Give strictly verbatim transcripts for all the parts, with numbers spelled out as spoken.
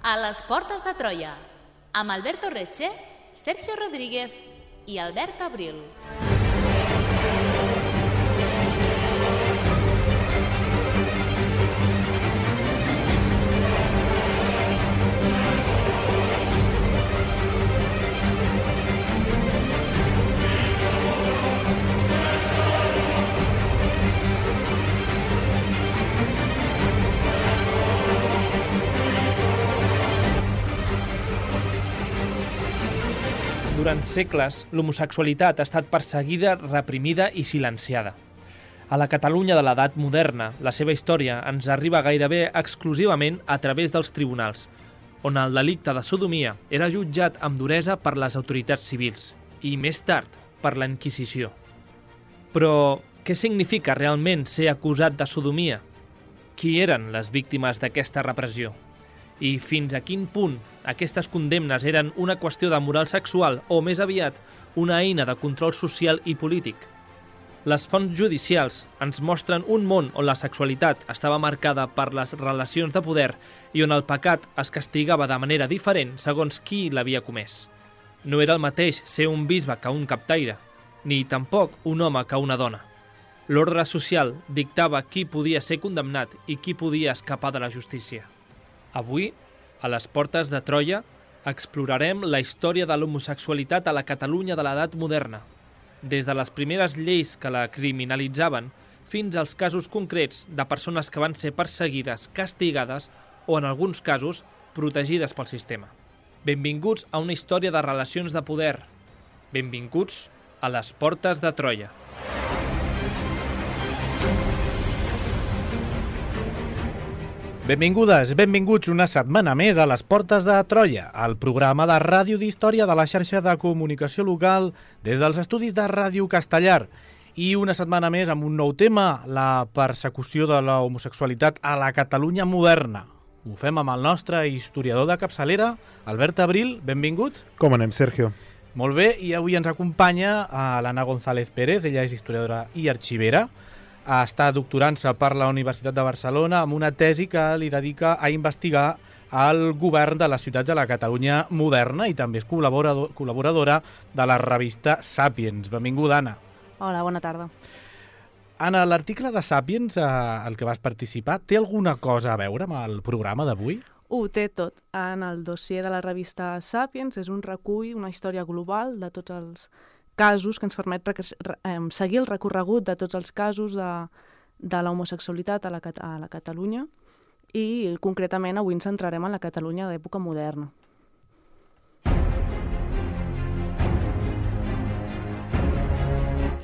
A les portes de Troia, amb Alberto Reche, Sergio Rodríguez i Albert Abril. Durant segles, l'homosexualitat ha estat perseguida, reprimida i silenciada. A la Catalunya de l'edat moderna, la seva història ens arriba gairebé exclusivament a través dels tribunals, on el delicte de sodomia era jutjat amb duresa per les autoritats civils i, més tard, per la Inquisició. Però què significa realment ser acusat de sodomia? Qui eren les víctimes d'aquesta repressió? I fins a quin punt aquestes condemnes eren una qüestió de moral sexual o, més aviat, una eina de control social i polític? Les fonts judicials ens mostren un món on la sexualitat estava marcada per les relacions de poder i on el pecat es castigava de manera diferent segons qui l'havia comès. No era el mateix ser un bisbe que un captaire, ni tampoc un home que una dona. L'ordre social dictava qui podia ser condemnat i qui podia escapar de la justícia. Avui, a les portes de Troia, explorarem la història de l'homosexualitat a la Catalunya de l'edat moderna, des de les primeres lleis que la criminalitzaven fins als casos concrets de persones que van ser perseguides, castigades o, en alguns casos, protegides pel sistema. Benvinguts a una història de relacions de poder. Benvinguts a les portes de Troia. Benvingudes, benvinguts una setmana més a les Portes de Troia, el programa de ràdio d'història de la xarxa de comunicació local des dels estudis de Ràdio Castellar. I una setmana més amb un nou tema, la persecució de la homosexualitat a la Catalunya moderna. Ho fem amb el nostre historiador de capçalera, Albert Abril, benvingut. Com anem, Sergio? Molt bé, i avui ens acompanya l'Anna González Pérez, ella és historiadora i arxivera. Està doctorant-se per la Universitat de Barcelona amb una tesi que li dedica a investigar el govern de les ciutats de la Catalunya moderna i també és col·laborador, col·laboradora de la revista Sàpiens. Benvinguda, Anna. Hola, bona tarda. Anna, l'article de Sàpiens, eh, el que vas participar, té alguna cosa a veure amb el programa d'avui? Ho té tot. En el dossier de la revista Sàpiens és un recull, una història global de tots els casos que ens permet seguir el recorregut de tots els casos de, de la homosexualitat a la, a la Catalunya i concretament avui ens centrarem en la Catalunya d'època moderna.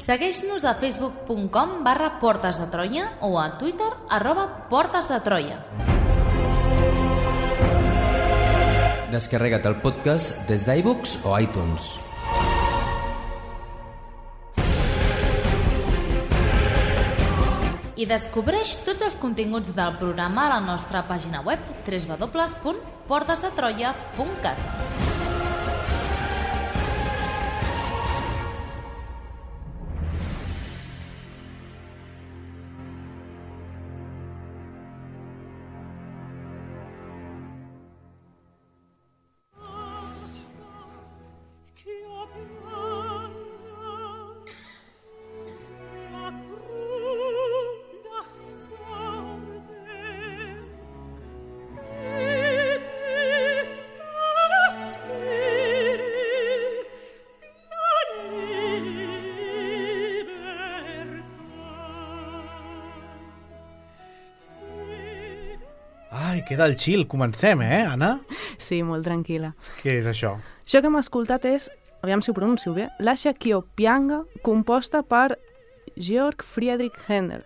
Segueix-nos a facebook punt com barra portes de Troia o a Twitter arroba portes de Troia. Descarrega't el podcast des d'iBooks o iTunes. I descobreix tots els continguts del programa a la nostra pàgina web w w w punt portes de troia punt cat. Ai, queda el chill. Comencem, eh, Anna? Sí, molt tranquil·la. Què és això? Això que hem escoltat és, aviam si ho pronuncio bé, l'Asha Kiopianga, composta per Georg Friedrich Händel.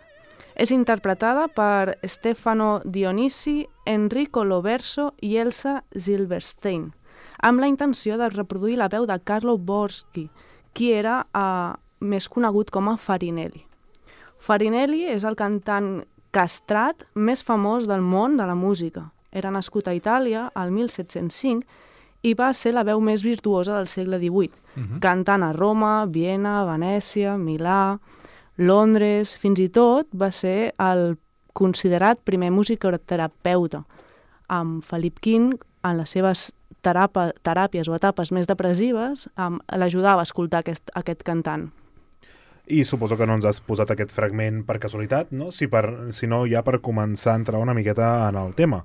És interpretada per Stefano Dionisi, Enrico Loverso i Elsa Silverstein, amb la intenció de reproduir la veu de Carlo Borski, qui era eh, més conegut com a Farinelli. Farinelli és el cantant castrat més famós del món de la música. Era nascut a Itàlia al mil set-cents cinc i va ser la veu més virtuosa del segle divuit, uh-huh. cantant a Roma, Viena, Venècia, Milà, Londres, fins i tot va ser el considerat primer musicoterapeuta. amb Felip King, en les seves terapa, teràpies o etapes més depressives, um, l'ajudava a escoltar aquest, aquest cantant. I suposo que no ens has posat aquest fragment per casualitat, no? Si, per, si no, ja per començar a entrar una miqueta en el tema.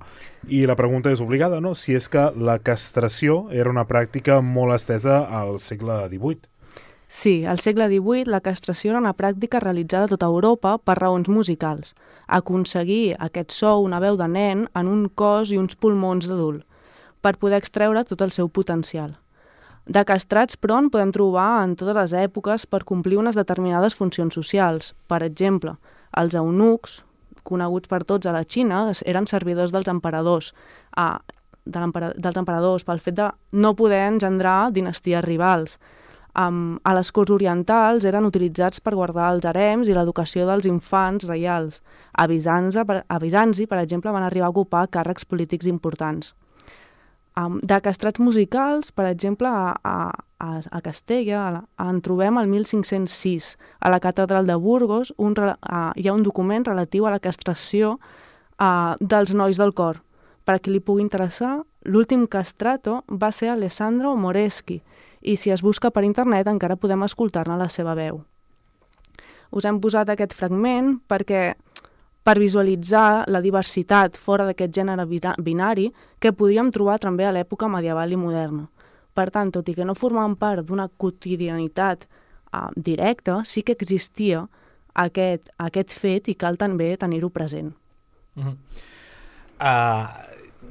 I la pregunta és obligada, no? Si és que la castració era una pràctica molt estesa al segle divuit. Sí, al segle divuit la castració era una pràctica realitzada a tota Europa per raons musicals. Aconseguir aquest so, una veu de nen, en un cos i uns pulmons d'adult, per poder extreure tot el seu potencial. De castrats, però, en podem trobar en totes les èpoques per complir unes determinades funcions socials. Per exemple, els eunucs, coneguts per tots a la Xina, eren servidors dels emperadors, a, de dels emperadors pel fet de no poder engendrar dinasties rivals. Um, a les corts orientals eren utilitzats per guardar els harems i l'educació dels infants reials. A Bizanci, per, a Bizanci, per exemple, van arribar a ocupar càrrecs polítics importants. Um, de castrats musicals, per exemple, a, a, a Castella a la, en trobem el mil cinc-cents sis. A la catedral de Burgos un, a, hi ha un document relatiu a la castració a, dels nois del cor. Per a qui li pugui interessar, l'últim castrato va ser Alessandro Moreschi, i si es busca per internet encara podem escoltar-ne la seva veu. Us hem posat aquest fragment perquè per visualitzar la diversitat fora d'aquest gènere binari que podríem trobar també a l'època medieval i moderna. Per tant, tot i que no formaven part d'una quotidianitat uh, directa, sí que existia aquest, aquest fet i cal també tenir-ho present. Uh-huh. uh,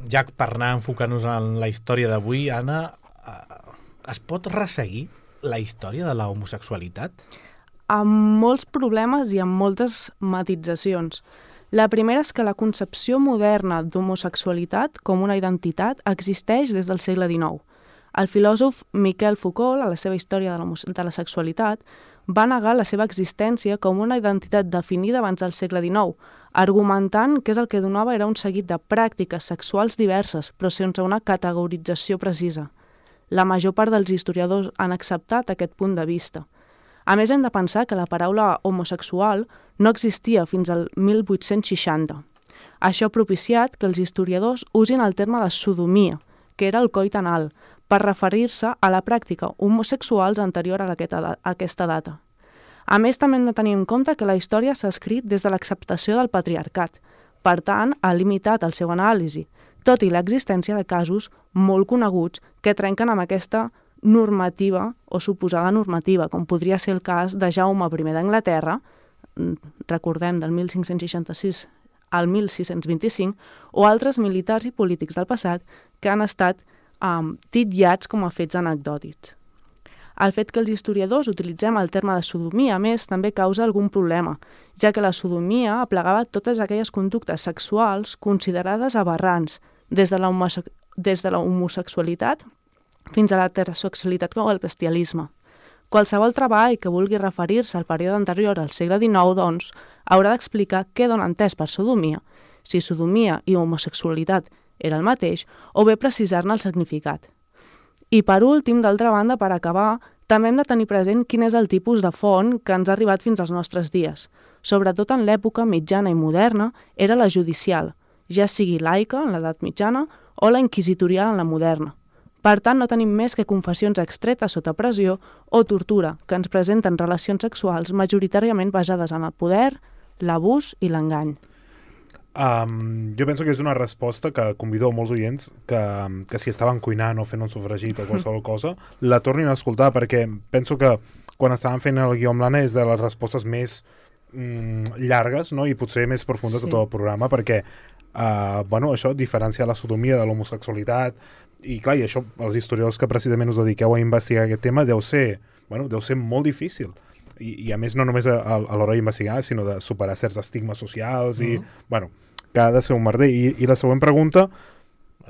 ja per anar enfocant-nos en la història d'avui, Anna, uh, es pot resseguir la història de la homosexualitat? Amb molts problemes i amb moltes matitzacions. La primera és que la concepció moderna d'homosexualitat com una identitat existeix des del segle dinou. El filòsof Miquel Foucault, a la seva història de la, de la sexualitat, va negar la seva existència com una identitat definida abans del segle dinou, argumentant que és el que donava era un seguit de pràctiques sexuals diverses, però sense una categorització precisa. La major part dels historiadors han acceptat aquest punt de vista. A més, hem de pensar que la paraula homosexual no existia fins al mil vuit-cents seixanta. Això ha propiciat que els historiadors usin el terme de sodomia, que era el coit anal, per referir-se a la pràctica homosexuals anterior a aquesta data. A més, també hem de tenir en compte que la història s'ha escrit des de l'acceptació del patriarcat. Per tant, ha limitat el seu anàlisi, tot i l'existència de casos molt coneguts que trenquen amb aquesta normativa o suposada normativa, com podria ser el cas de Jaume primer d'Anglaterra, recordem del mil cinc-cents seixanta-sis al mil sis-cents vint-i-cinc, o altres militars i polítics del passat que han estat um, titllats com a fets anecdòtics. El fet que els historiadors utilitzem el terme de sodomia, a més, també causa algun problema, ja que la sodomia aplegava totes aquelles conductes sexuals considerades aberrants, des de la, homose- des de la homosexualitat fins a l'heterosexualitat o el bestialisme. Qualsevol treball que vulgui referir-se al període anterior al segle dinou, doncs, haurà d'explicar què dona entès per sodomia, si sodomia i homosexualitat era el mateix, o bé precisar-ne el significat. I per últim, d'altra banda, per acabar, també hem de tenir present quin és el tipus de font que ens ha arribat fins als nostres dies. Sobretot en l'època mitjana i moderna, era la judicial, ja sigui laica, en l'edat mitjana, o la inquisitorial en la moderna. Per tant, no tenim més que confessions extretes sota pressió o tortura, que ens presenten relacions sexuals majoritàriament basades en el poder, l'abús i l'engany. Um, jo penso que és una resposta que convido a molts oients que, que si estaven cuinant o fent un sofregit o qualsevol cosa, la tornin a escoltar, perquè penso que quan estàvem fent el guió amb l'Anna és de les respostes més mm, llargues, no? I potser més profundes sí. de tot el programa, perquè uh, bueno, això diferencia la sodomia de l'homosexualitat. I clar, i això, els historiadors que precisament us dediqueu a investigar aquest tema, deu ser, bueno, deu ser molt difícil. I, i a més, no només a, a, a l'hora d'investigar, sinó de superar certs estigmes socials i, mm-hmm. bueno, que ha de ser un merder. I, i la següent pregunta...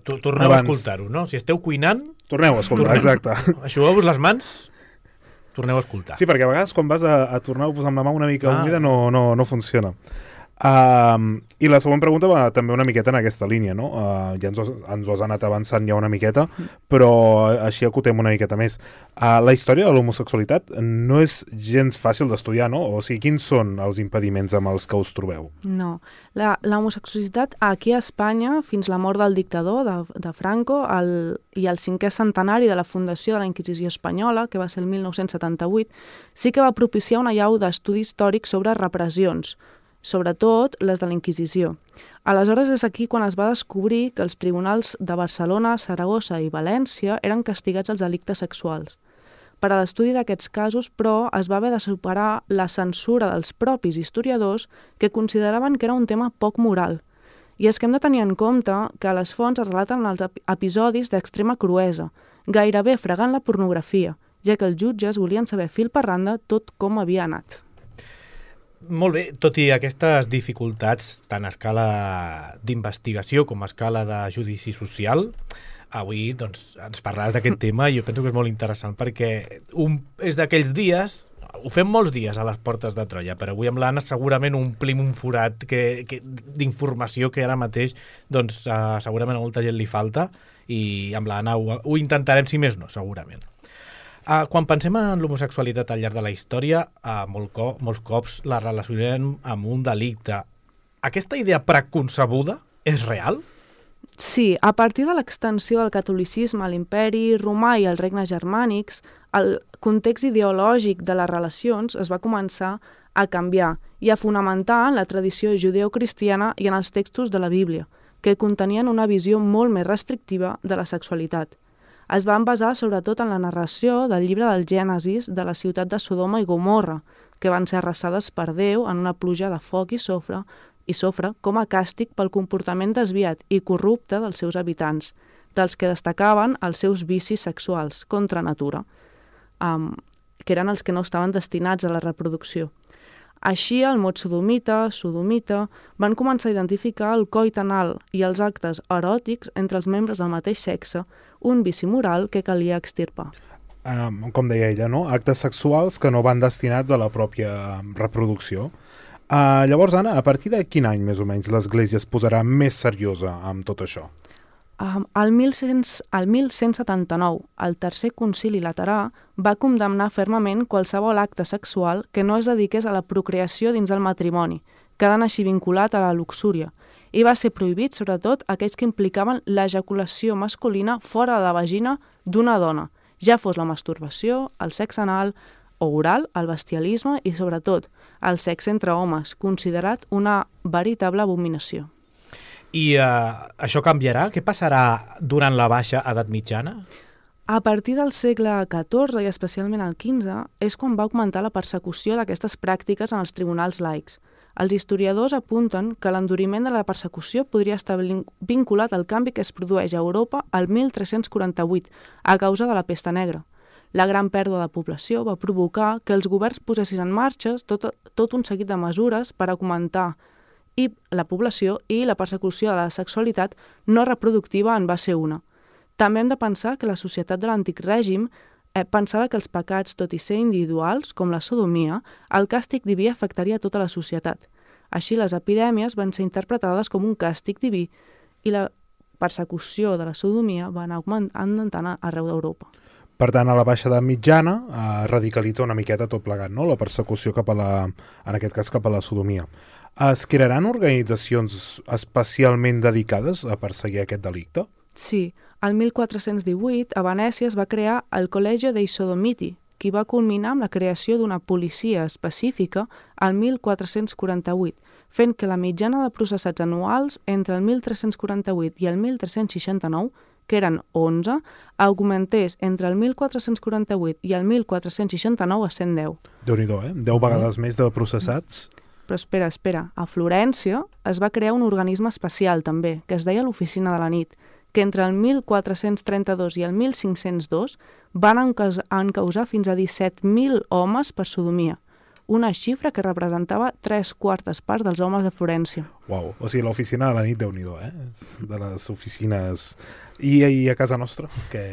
Torneu abans... a escoltar-ho, no? Si esteu cuinant... Torneu a escoltar, torneu. Exacte. Aixugueu-vos les mans, torneu a escoltar. Sí, perquè a vegades quan vas a, a tornar a posar amb la mà una mica ah. humida no, no, no funciona. Uh, I la següent pregunta va també una miqueta en aquesta línia, no? Uh, ja ens, ho, ens ho has anat avançant ja una miqueta, però així acotem una miqueta més. Uh, la història de l'homosexualitat no és gens fàcil d'estudiar, no? O sigui, quins són els impediments amb els que us trobeu? No. La, la homosexualitat aquí a Espanya, fins la mort del dictador, de, de Franco, el, i el cinquè centenari de la fundació de la Inquisició espanyola, que va ser el mil nou-cents setanta-vuit, sí que va propiciar una llau d'estudi històric sobre repressions, sobretot les de la Inquisició. Aleshores és aquí quan es va descobrir que els tribunals de Barcelona, Saragossa i València eren castigats als delictes sexuals. Per a l'estudi d'aquests casos, però, es va haver de superar la censura dels propis historiadors que consideraven que era un tema poc moral. I és que hem de tenir en compte que a les fonts es relaten els episodis d'extrema cruesa, gairebé fregant la pornografia, ja que els jutges volien saber fil per randa tot com havia anat. Molt bé, tot i aquestes dificultats tant a escala d'investigació com a escala de judici social, avui doncs, ens parlaràs d'aquest tema i jo penso que és molt interessant perquè un, és d'aquells dies, ho fem molts dies a les portes de Troia, però avui amb l'Anna segurament omplim un forat que, que, d'informació que ara mateix doncs, uh, segurament a molta gent li falta i amb l'Anna ho, ho intentarem, si més no, segurament. Uh, quan pensem en l'homosexualitat al llarg de la història, uh, molt co molts cops la relacionem amb un delicte. Aquesta idea preconcebuda és real? Sí, a partir de l'extensió del catolicisme a l'imperi romà i als regnes germànics, el context ideològic de les relacions es va començar a canviar i a fonamentar en la tradició judeocristiana i en els textos de la Bíblia, que contenien una visió molt més restrictiva de la sexualitat. Es van basar sobretot en la narració del llibre del Gènesis de la ciutat de Sodoma i Gomorra, que van ser arrasades per Déu en una pluja de foc i sofre, i sofre com a càstig pel comportament desviat i corrupte dels seus habitants, dels que destacaven els seus vicis sexuals contra natura, um, que eren els que no estaven destinats a la reproducció. Així, el mot sodomita, sodomita, van començar a identificar el coit anal i els actes eròtics entre els membres del mateix sexe, un vici moral que calia extirpar. Um, com deia ella, no? Actes sexuals que no van destinats a la pròpia reproducció. Uh, llavors, Anna, a partir de quin any, més o menys, l'Església es posarà més seriosa amb tot això? Um, el, mil cent setanta-nou, el Tercer Concili Laterà va condemnar fermament qualsevol acte sexual que no es dediqués a la procreació dins el matrimoni, quedant així vinculat a la luxúria, i va ser prohibit, sobretot, aquells que implicaven l'ejaculació masculina fora de la vagina d'una dona, ja fos la masturbació, el sexe anal o oral, el bestialisme i, sobretot, el sexe entre homes, considerat una veritable abominació. I uh, això canviarà? Què passarà durant la baixa edat mitjana? A partir del segle catorze i especialment el quinze és quan va augmentar la persecució d'aquestes pràctiques en els tribunals laics. Els historiadors apunten que l'enduriment de la persecució podria estar vinculat al canvi que es produeix a Europa al mil tres-cents quaranta-vuit a causa de la pesta negra. La gran pèrdua de població va provocar que els governs posessin en marxa tot, tot un seguit de mesures per augmentar i la població i la persecució de la sexualitat no reproductiva en va ser una. També hem de pensar que la societat de l'antic règim eh, pensava que els pecats, tot i ser individuals, com la sodomia, el càstig diví afectaria tota la societat. Així, les epidèmies van ser interpretades com un càstig diví i la persecució de la sodomia va anar augmentant arreu d'Europa. Per tant, a la baixa edat mitjana eh, radicalitza una miqueta tot plegat, no? La persecució cap a la, en aquest cas cap a la sodomia. Es crearan organitzacions especialment dedicades a perseguir aquest delicte? Sí. El mil quatre-cents divuit, a Venècia es va crear el Collegio dei Sodomiti, que va culminar amb la creació d'una policia específica al mil quatre-cents quaranta-vuit, fent que la mitjana de processats anuals entre el mil tres-cents quaranta-vuit i el mil tres-cents seixanta-nou, que eren onze, augmentés entre el mil quatre-cents quaranta-vuit i el mil quatre-cents seixanta-nou a cent deu. Déu-n'hi-do, eh? Deu vegades més de processats. Però espera, espera. A Florència es va crear un organisme especial també, que es deia l'Oficina de la Nit, que entre el mil quatre-cents trenta-dos i el mil cinc-cents dos van encausar fins a disset mil homes per sodomia, una xifra que representava tres quartes parts dels homes de Florència. Uau, o sigui, l'Oficina de la Nit, Déu-n'hi-do, eh? De les oficines... I, I a casa nostra, que...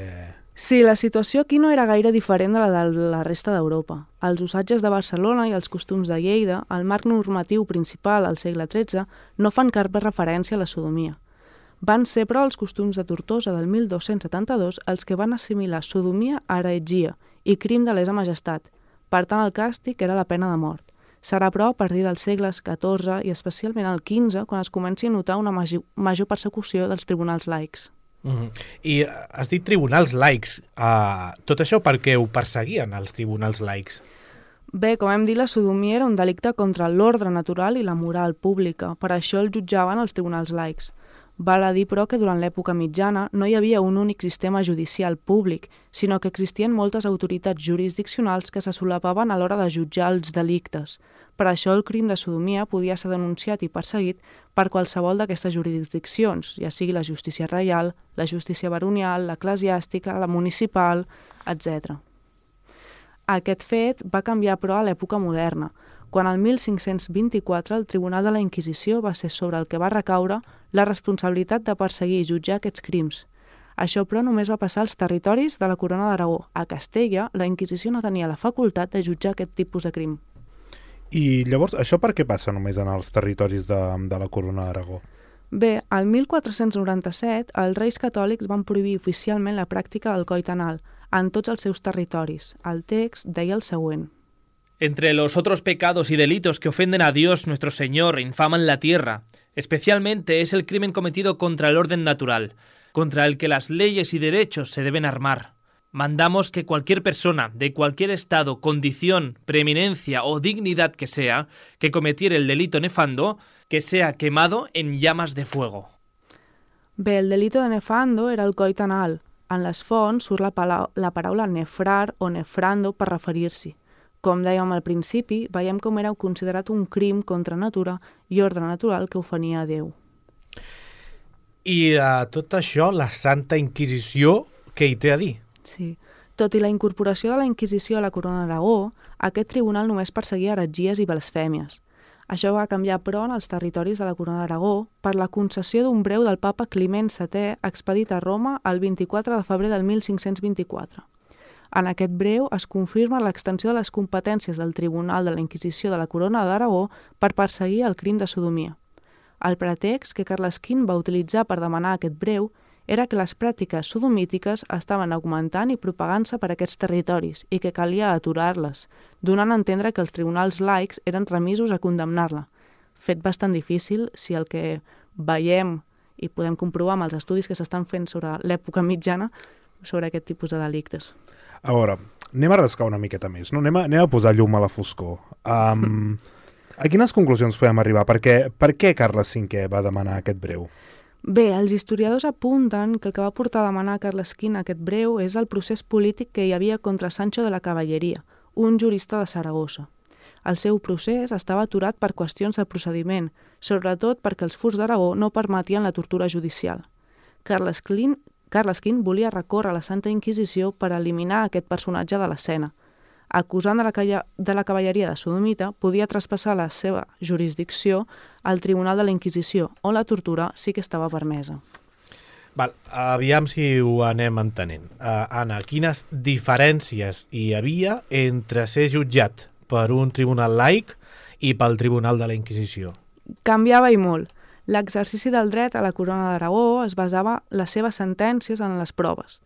Sí, la situació aquí no era gaire diferent de la de la resta d'Europa. Els usatges de Barcelona i els costums de Lleida, el marc normatiu principal al segle tretze, no fan cap referència a la sodomia. Van ser, però, els costums de Tortosa del mil dos-cents setanta-dos els que van assimilar sodomia a heretgia i crim de lesa majestat. Per tant, el càstig era la pena de mort. Serà, però, a partir dels segles catorze i especialment el quinze quan es comenci a notar una major, major persecució dels tribunals laics. Mm-hmm. I has dit tribunals laics. Uh, tot això per què ho perseguien els tribunals laics? Bé, com hem dit, la sodomia era un delicte contra l'ordre natural i la moral pública. Per això el jutjaven els tribunals laics. Val a dir, però, que durant l'època mitjana no hi havia un únic sistema judicial públic, sinó que existien moltes autoritats jurisdiccionals que se solapaven a l'hora de jutjar els delictes. Per això el crim de sodomia podia ser denunciat i perseguit per qualsevol d'aquestes jurisdiccions, ja sigui la justícia reial, la justícia baronial, l'eclesiàstica, la municipal, etcètera. Aquest fet va canviar, però, a l'època moderna, quan el mil cinc-cents vint-i-quatre el Tribunal de la Inquisició va ser sobre el que va recaure la responsabilitat de perseguir i jutjar aquests crims. Això, però, només va passar als territoris de la Corona d'Aragó. A Castella, la Inquisició no tenia la facultat de jutjar aquest tipus de crim. I llavors, això per què passa només en els territoris de, de la Corona d'Aragó? Bé, al mil quatre-cents noranta-set, els reis catòlics van prohibir oficialment la pràctica del coit anal en tots els seus territoris. El text deia el següent. Entre los otros pecados y delitos que ofenden a Dios nuestro Señor e infaman la tierra, especialmente es el crimen cometido contra el orden natural, contra el que las leyes y derechos se deben armar. Mandamos que cualquier persona, de cualquier estado, condición, preeminencia o dignidad que sea, que cometiere el delito nefando, que sea quemado en llamas de fuego. Bé, el delito de nefando era el coit anal. En les fonts surt la, pala la paraula nefrar o nefrando per referir-s'hi. Com dèiem al principi, veiem com era considerat un crim contra natura i ordre natural que ofenia a Déu. I uh, tot això, la Santa Inquisició, què hi té a dir? Sí. Tot i la incorporació de la Inquisició a la Corona d'Aragó, aquest tribunal només perseguia heretgies i blasfèmies. Això va canviar, però, en els territoris de la Corona d'Aragó per la concessió d'un breu del papa Climent setè expedit a Roma el vint-i-quatre de febrer del mil cinc-cents vint-i-quatre. En aquest breu es confirma l'extensió de les competències del Tribunal de la Inquisició de la Corona d'Aragó per perseguir el crim de sodomia. El pretext que Carles quint va utilitzar per demanar aquest breu era que les pràctiques sodomítiques estaven augmentant i propagant-se per aquests territoris i que calia aturar-les, donant a entendre que els tribunals laics eren remisos a condemnar-la. Fet bastant difícil si el que veiem i podem comprovar amb els estudis que s'estan fent sobre l'època mitjana sobre aquest tipus de delictes. A veure, anem a rascar una miqueta més, no? Anem a, anem a posar llum a la foscor. Um, a quines conclusions podem arribar? Per què, per què Carles cinquè va demanar aquest breu? Bé, els historiadors apunten que el que va portar a demanar a Carles quint aquest breu és el procés polític que hi havia contra Sancho de la Cavalleria, un jurista de Saragossa. El seu procés estava aturat per qüestions de procediment, sobretot perquè els furs d'Aragó no permetien la tortura judicial. Carles quint Carles quint volia recórrer a la Santa Inquisició per eliminar aquest personatge de l'escena. Acusant de la, de la cavalleria de sodomita, podia traspassar la seva jurisdicció al Tribunal de la Inquisició, on la tortura sí que estava permesa. Val, aviam si ho anem entenent. Uh, Anna, quines diferències hi havia entre ser jutjat per un tribunal laic i pel Tribunal de la Inquisició? Canviava i molt. L'exercici del dret a la Corona d'Aragó es basava les seves sentències en les proves.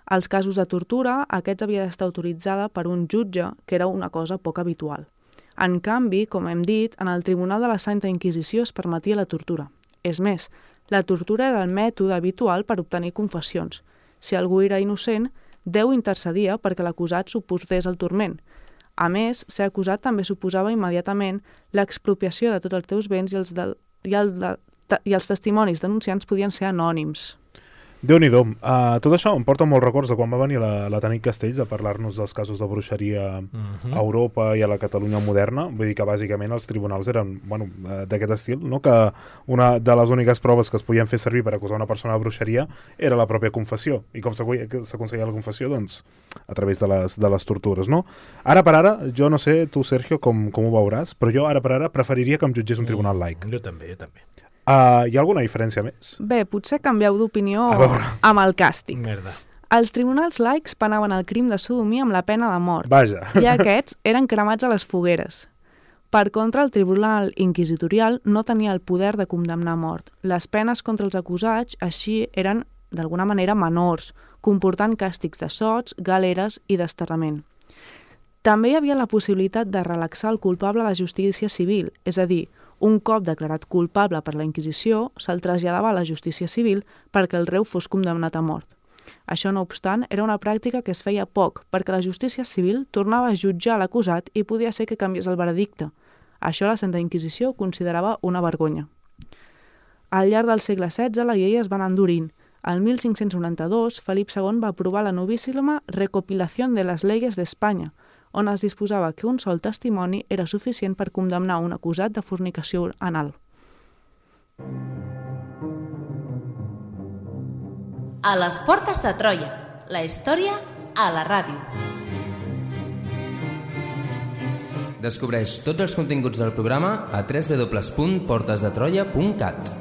Als casos de tortura, aquest havia d'estar autoritzada per un jutge, que era una cosa poc habitual. En canvi, com hem dit, en el Tribunal de la Santa Inquisició es permetia la tortura. És més, la tortura era el mètode habitual per obtenir confessions. Si algú era innocent, Déu intercedia perquè l'acusat suposés el turment. A més, ser acusat també suposava immediatament l'expropiació de tots els teus béns i els, de, i, el de, i els testimonis denunciants podien ser anònims. Déu-n'hi-do. Uh, tot això em porta molts records de quan va venir la, la Tanit Castells a parlar-nos dels casos de bruixeria uh-huh. a Europa i a la Catalunya moderna. Vull dir que bàsicament els tribunals eren bueno, d'aquest estil, no? Que una de les úniques proves que es podien fer servir per acusar una persona de bruixeria era la pròpia confessió. I com s'aconseguia la confessió? Doncs a través de les, de les tortures, no? Ara per ara, jo no sé, tu Sergio, com, com ho veuràs, però jo ara per ara preferiria que em jutgés un tribunal laic. Jo també, jo també. Uh, hi ha alguna diferència més? Bé, potser canvieu d'opinió amb el càstig. Merda. Els tribunals laics penaven el crim de sodomia amb la pena de mort. Vaja. I aquests eren cremats a les fogueres. Per contra, el tribunal inquisitorial no tenia el poder de condemnar a mort. Les penes contra els acusats, així, eren, d'alguna manera, menors, comportant càstigs de sots, galeres i desterrament. També hi havia la possibilitat de relaxar el culpable a la justícia civil, és a dir, un cop declarat culpable per la Inquisició, se'l traslladava a la justícia civil perquè el reu fos condemnat a mort. Això, no obstant, era una pràctica que es feia poc, perquè la justícia civil tornava a jutjar l'acusat i podia ser que canviés el veredicte. Això la Santa Inquisició considerava una vergonya. Al llarg del segle setze, la llei es va anar endurint. El mil cinc-cents noranta-dos, Felip segon va aprovar la novíssima Recopilación de las Leyes de España, on es disposava que un sol testimoni era suficient per condemnar un acusat de fornicació anal. A les portes de Troia, la història a la ràdio. Descobreix tots els continguts del programa a w w w punt portes de troia punt cat.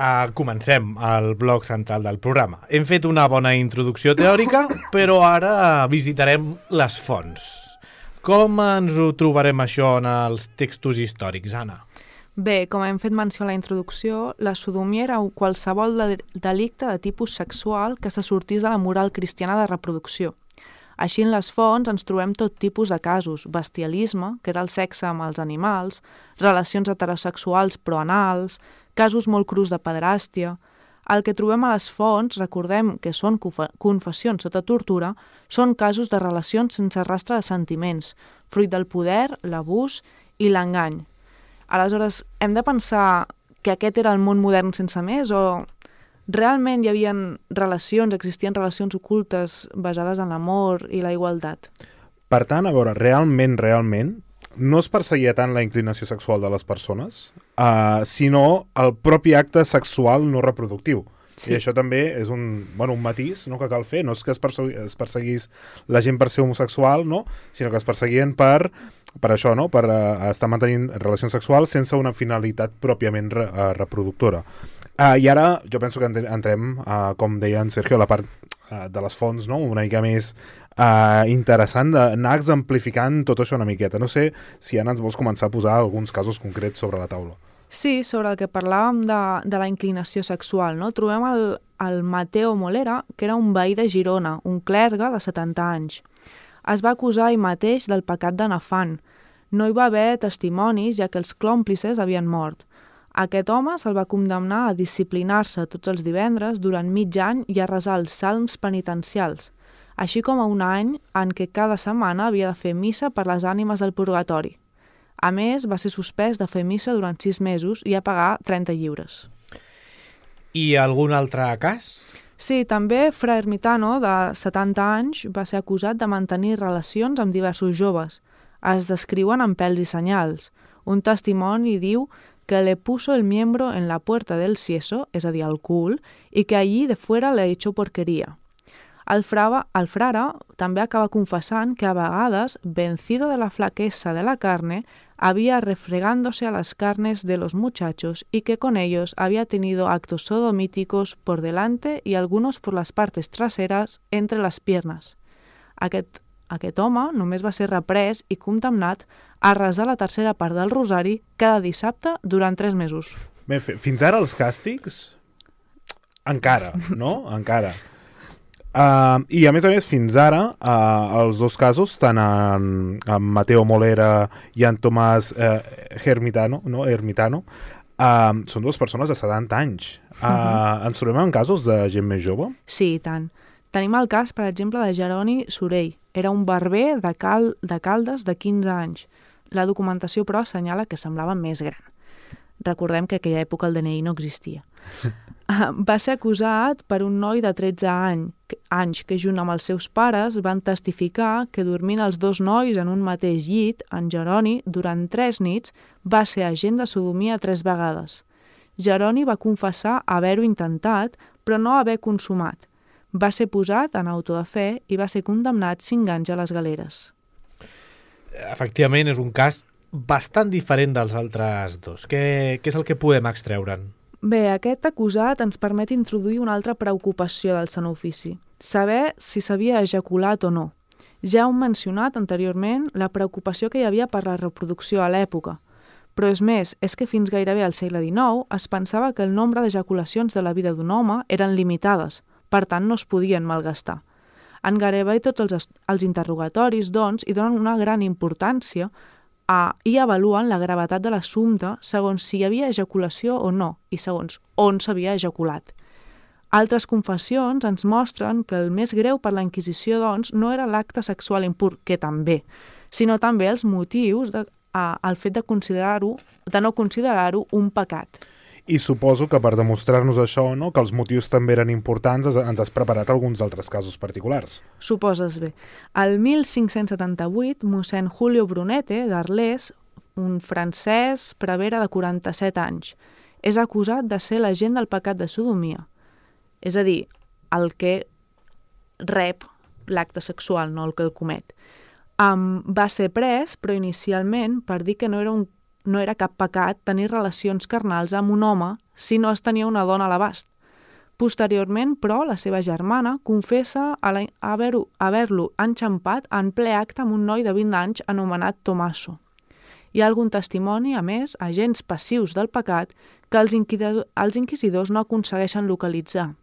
Uh, comencem el bloc central del programa. Hem fet una bona introducció teòrica, però ara visitarem les fonts. Com ens ho trobarem això en els textos històrics, Anna? Bé, com hem fet menció a la introducció, la sodomia era qualsevol de delicte de tipus sexual que se sortís de la moral cristiana de reproducció. Així, en les fonts ens trobem tot tipus de casos: bestialisme, que era el sexe amb els animals, relacions heterosexuals però anals, casos molt crus de pederàstia. El que trobem a les fonts, recordem que són confessions sota tortura, són casos de relacions sense rastre de sentiments, fruit del poder, l'abús i l'engany. Aleshores, hem de pensar que aquest era el món modern sense més, o realment hi havia relacions, existien relacions ocultes basades en l'amor i la igualtat? Per tant, a veure, realment, realment, no es perseguia tant la inclinació sexual de les persones, uh, sinó el propi acte sexual no reproductiu. Sí. I això també és un, bueno, un matís, no, que cal fer. No és que es, persegui, es perseguís la gent per ser homosexual, no? Sinó que es perseguien per, per això, no? Per uh, estar mantenint relacions sexuals sense una finalitat pròpiament re, uh, reproductora. Uh, I ara jo penso que entrem, uh, com deia en Sergio, a la part uh, de les fonts, no? Una mica més uh, interessant d'anar exemplificant tot això una miqueta. No sé si ara ens vols començar a posar alguns casos concrets sobre la taula. Sí, sobre el que parlàvem de, de la inclinació sexual, no? Trobem el, el Mateo Molera, que era un veí de Girona, un clergue de setanta anys. Es va acusar ell mateix del pecat de nafant. No hi va haver testimonis, ja que els còmplices havien mort. Aquest home se'l va condemnar a disciplinar-se tots els divendres durant mig any i a resar els salms penitencials, així com a un any en què cada setmana havia de fer missa per les ànimes del purgatori. A més, va ser suspès de fer missa durant sis mesos i a pagar trenta lliures. I algun altre cas? Sí, també Fra Ermitano, de setanta anys, va ser acusat de mantenir relacions amb diversos joves. Es descriuen amb pèls i senyals. Un testimoni diu que le puso el miembro en la puerta del sieso, és a dir, el cul, i que allí de fuera le echó porquería. El, frava, el frare també acaba confessant que a vegades, vencido de la flaqueza de la carne, había refregándose a las carnes de los muchachos y que con ellos había tenido actos sodomíticos por delante y algunos por las partes traseras entre las piernas. Aquest, aquest home només va ser reprès i condemnat a resar la tercera part del rosari cada dissabte durant tres mesos. Bé, fins ara els càstigs? Encara, no? Encara. Uh, I a més a més, fins ara, uh, els dos casos, tant en, en Mateo Molera i en Tomàs uh, Hermitano, no? Hermitano, uh, són dues persones de setanta anys. Uh, uh-huh. Ens trobem en casos de gent més jove? Sí, i tant. Tenim el cas, per exemple, de Jeroni Sorell. Era un barber de, Cal de Caldes de quinze anys. La documentació, però, assenyala que semblava més gran. Recordem que en aquella època el D N I no existia. Va ser acusat per un noi de tretze anys que, junt amb els seus pares, van testificar que dormint els dos nois en un mateix llit, en Jeroni, durant tres nits, va ser agent de sodomia tres vegades. Jeroni va confessar haver-ho intentat, però no haver consumat. Va ser posat en auto de fe i va ser condemnat cinc anys a les galeres. Efectivament, és un cas bastant diferent dels altres dos. Què, què és el que podem extreure'n? Bé, aquest acusat ens permet introduir una altra preocupació del Sant Ofici, saber si s'havia ejaculat o no. Ja hem mencionat anteriorment la preocupació que hi havia per la reproducció a l'època, però és més, és que fins gairebé al segle dinou es pensava que el nombre d'ejaculacions de la vida d'un home eren limitades, per tant no es podien malgastar. En gairebé tots els, els interrogatoris, doncs, hi donen una gran importància a, i avaluen la gravetat de l'assumpte segons si hi havia ejaculació o no i segons on s'havia ejaculat. Altres confessions ens mostren que el més greu per la Inquisició, doncs, no era l'acte sexual impur, que també, sinó també els motius de, a, el fet de considerar-ho, de no considerar-ho un pecat. I suposo que per demostrar-nos això, no, que els motius també eren importants, ens has preparat alguns altres casos particulars. Suposes bé. El mil cinc-cents setanta-vuit, mossèn Julio Brunete, d'Arles, un francès prevere de quaranta-set anys, és acusat de ser l'agent del pecat de sodomia. És a dir, el que rep l'acte sexual, no el que el comet. Um, va ser pres, però inicialment, per dir que no era un no era cap pecat tenir relacions carnals amb un home si no es tenia una dona a l'abast. Posteriorment, però, la seva germana confessa haver-lo haver-lo enxampat en ple acte amb un noi de vint anys anomenat Tomaso. Hi ha algun testimoni, a més, agents passius del pecat, que els, els inquisidors no aconsegueixen localitzar.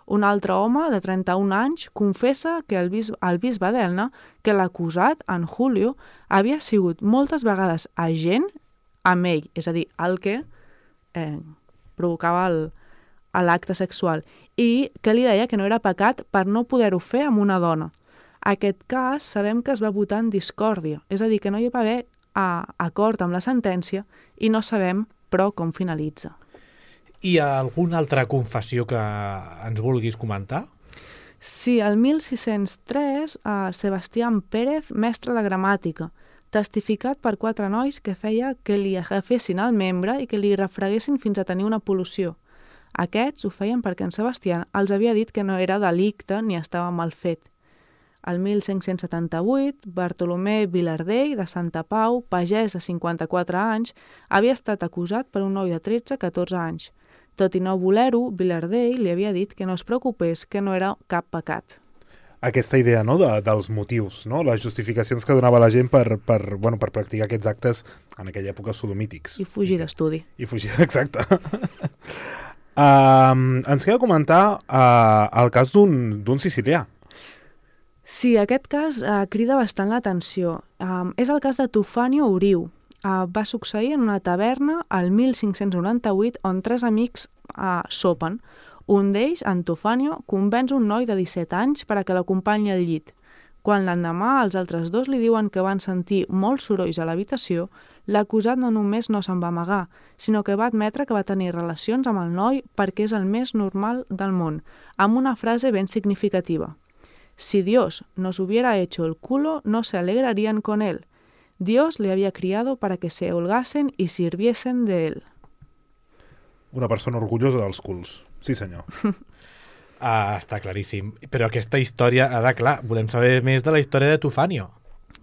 Un altre home, de trenta-un anys, confessa que el, bis, el bisbe d'Elna, que l'acusat, en Julio, havia sigut moltes vegades agent amb ell, és a dir, el que eh, provocava l'acte sexual, i que li deia que no era pecat per no poder-ho fer amb una dona. Aquest cas sabem que es va votar en discòrdia, és a dir, que no hi va haver a, acord amb la sentència i no sabem, però, com finalitza. Hi ha alguna altra confessió que ens vulguis comentar? Sí, el mil sis-cents tres, a Sebastián Pérez, mestre de gramàtica, testificat per quatre nois que feia que li agafessin el membre i que li refreguessin fins a tenir una pol·lució. Aquests ho feien perquè en Sebastián els havia dit que no era delicte ni estava mal fet. El mil cinc-cents setanta-vuit, Bartolomé Vilardell, de Santa Pau, pagès de cinquanta-quatre anys, havia estat acusat per un noi de tretze a catorze anys. Tot i no voler-ho, Vilardell li havia dit que no es preocupés, que no era cap pecat. Aquesta idea, no?, de, dels motius, no?, les justificacions que donava la gent per, per, bueno, per practicar aquests actes en aquella època sodomítics. I fugir d'estudi. I fugir, exacte. um, ens queda comentar uh, el cas d'un sicilià. Sí, aquest cas uh, crida bastant l'atenció. Um, és el cas de Tufanio Uriu. Uh, va succeir en una taverna al mil cinc-cents noranta-vuit on tres amics uh, sopen. Un d'ells, en Tufanio, convenç un noi de disset anys per a que l'acompanyi al llit. Quan l'endemà els altres dos li diuen que van sentir molts sorolls a l'habitació, l'acusat no només no se'n va amagar, sinó que va admetre que va tenir relacions amb el noi perquè és el més normal del món, amb una frase ben significativa. Si Dios nos hubiera hecho el culo, no se alegrarían con él. Dios le había criado para que se holgasen y sirviesen de él. Una persona orgullosa dels culs. Sí, senyor. Ah, està claríssim. Però aquesta història, ara, clar, volem saber més de la història de Tufanio.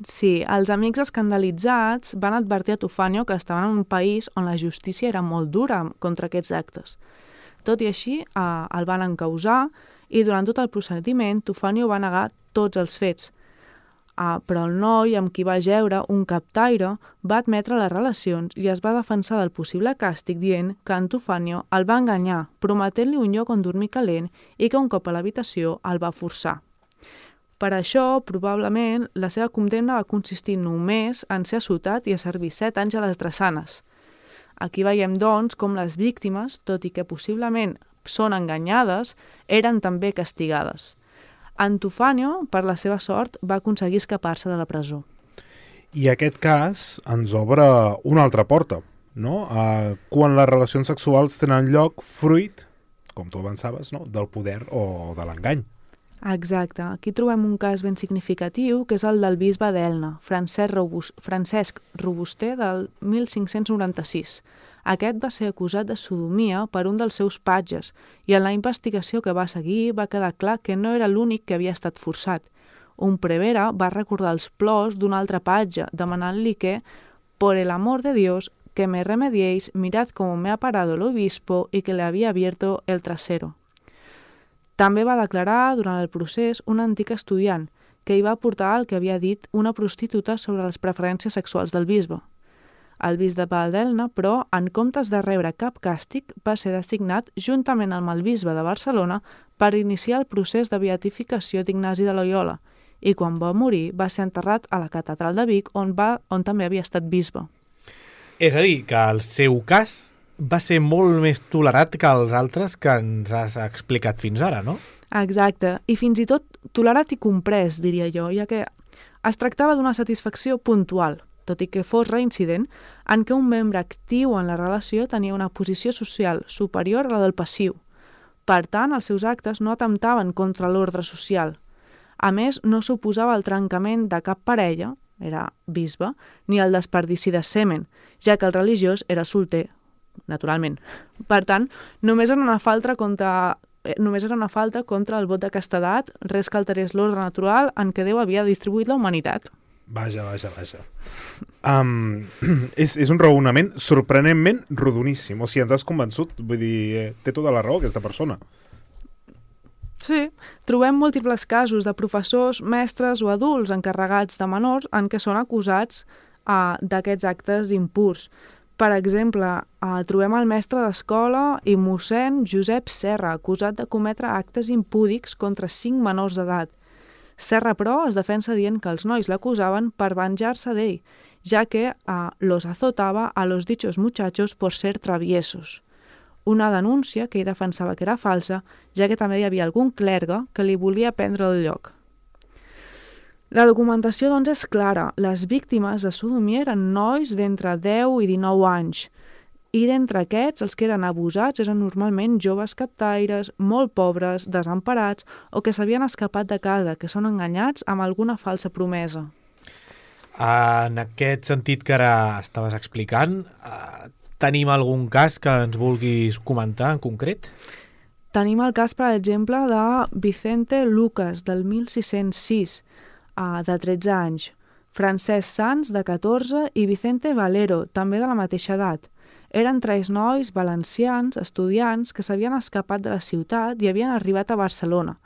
Sí, els amics escandalitzats van advertir a Tufanio que estaven en un país on la justícia era molt dura contra aquests actes. Tot i així, eh, el van encausar i durant tot el procediment Tufanio va negar tots els fets. Ah, però el noi amb qui va jeure, un captaire, va admetre les relacions i es va defensar del possible càstig dient que Antofanio el va enganyar, prometent-li un lloc on dormir calent i que un cop a l'habitació el va forçar. Per això, probablement, la seva condemna va consistir només en ser assotat i a servir set anys a les drassanes. Aquí veiem, doncs, com les víctimes, tot i que possiblement són enganyades, eren també castigades. Antofanio, per la seva sort, va aconseguir escapar-se de la presó. I aquest cas ens obre una altra porta, no? Uh, quan les relacions sexuals tenen lloc fruit, com tu avançaves, no? Del poder o de l'engany. Exacte. Aquí trobem un cas ben significatiu, que és el del bisbe d'Elna, Francesc, Robust, Francesc Robuster, del mil cinc-cents noranta-sis. Aquest va ser acusat de sodomia per un dels seus patges i en la investigació que va seguir va quedar clar que no era l'únic que havia estat forçat. Un prevere va recordar els plors d'un altre patge, demanant-li que, por el amor de Dios, que me remediéis, mirad cómo me ha parado el obispo y que le había abierto el trasero. També va declarar durant el procés un antic estudiant que hi va aportar el que havia dit una prostituta sobre les preferències sexuals del bisbe. El bisbe d'Elna, però, en comptes de rebre cap càstig, va ser designat juntament amb el bisbe de Barcelona per iniciar el procés de beatificació d'Ignasi de Loyola i quan va morir va ser enterrat a la catedral de Vic on, va, on també havia estat bisbe. És a dir, que el seu cas va ser molt més tolerat que els altres que ens has explicat fins ara, no? Exacte, i fins i tot tolerat i comprès, diria jo, ja que es tractava d'una satisfacció puntual, tot i que fos reincident, en què un membre actiu en la relació tenia una posició social superior a la del passiu. Per tant, els seus actes no atemptaven contra l'ordre social. A més, no suposava el trencament de cap parella, era bisbe, ni el desperdici de semen, ja que el religiós era solter, naturalment. Per tant, només era una falta contra, només era una falta contra el vot de castedat, res que alterés l'ordre natural en què Déu havia distribuït la humanitat. Vaja, vaja, vaja. Um, és, és un raonament sorprenentment rodoníssim. O sigui, ens has convençut. Vull dir, eh, té tota la raó aquesta persona. Sí, trobem múltiples casos de professors, mestres o adults encarregats de menors en què són acusats uh, d'aquests actes impurs. Per exemple, uh, trobem el mestre d'escola i mossèn Josep Serra, acusat de cometre actes impúdics contra cinc menors d'edat. Serra, però, es defensa dient que els nois l'acusaven per venjar-se d'ell, ja que uh, los azotava a los dichos muchachos por ser traviesos. Una denúncia que ell defensava que era falsa, ja que també hi havia algun clergue que li volia prendre el lloc. La documentació, doncs, és clara. Les víctimes de sodomia eren nois d'entre deu i dinou anys, i d'entre aquests, els que eren abusats eren normalment joves captaires, molt pobres, desemparats o que s'havien escapat de casa, que són enganyats amb alguna falsa promesa. En aquest sentit que ara estaves explicant, eh, tenim algun cas que ens vulguis comentar en concret? Tenim el cas, per exemple, de Vicente Lucas, del mil sis-cents sis, uh, de tretze anys, Francesc Sans, de catorze, i Vicente Valero, també de la mateixa edat. Eren tres nois valencians, estudiants, que s'havien escapat de la ciutat i havien arribat a Barcelona.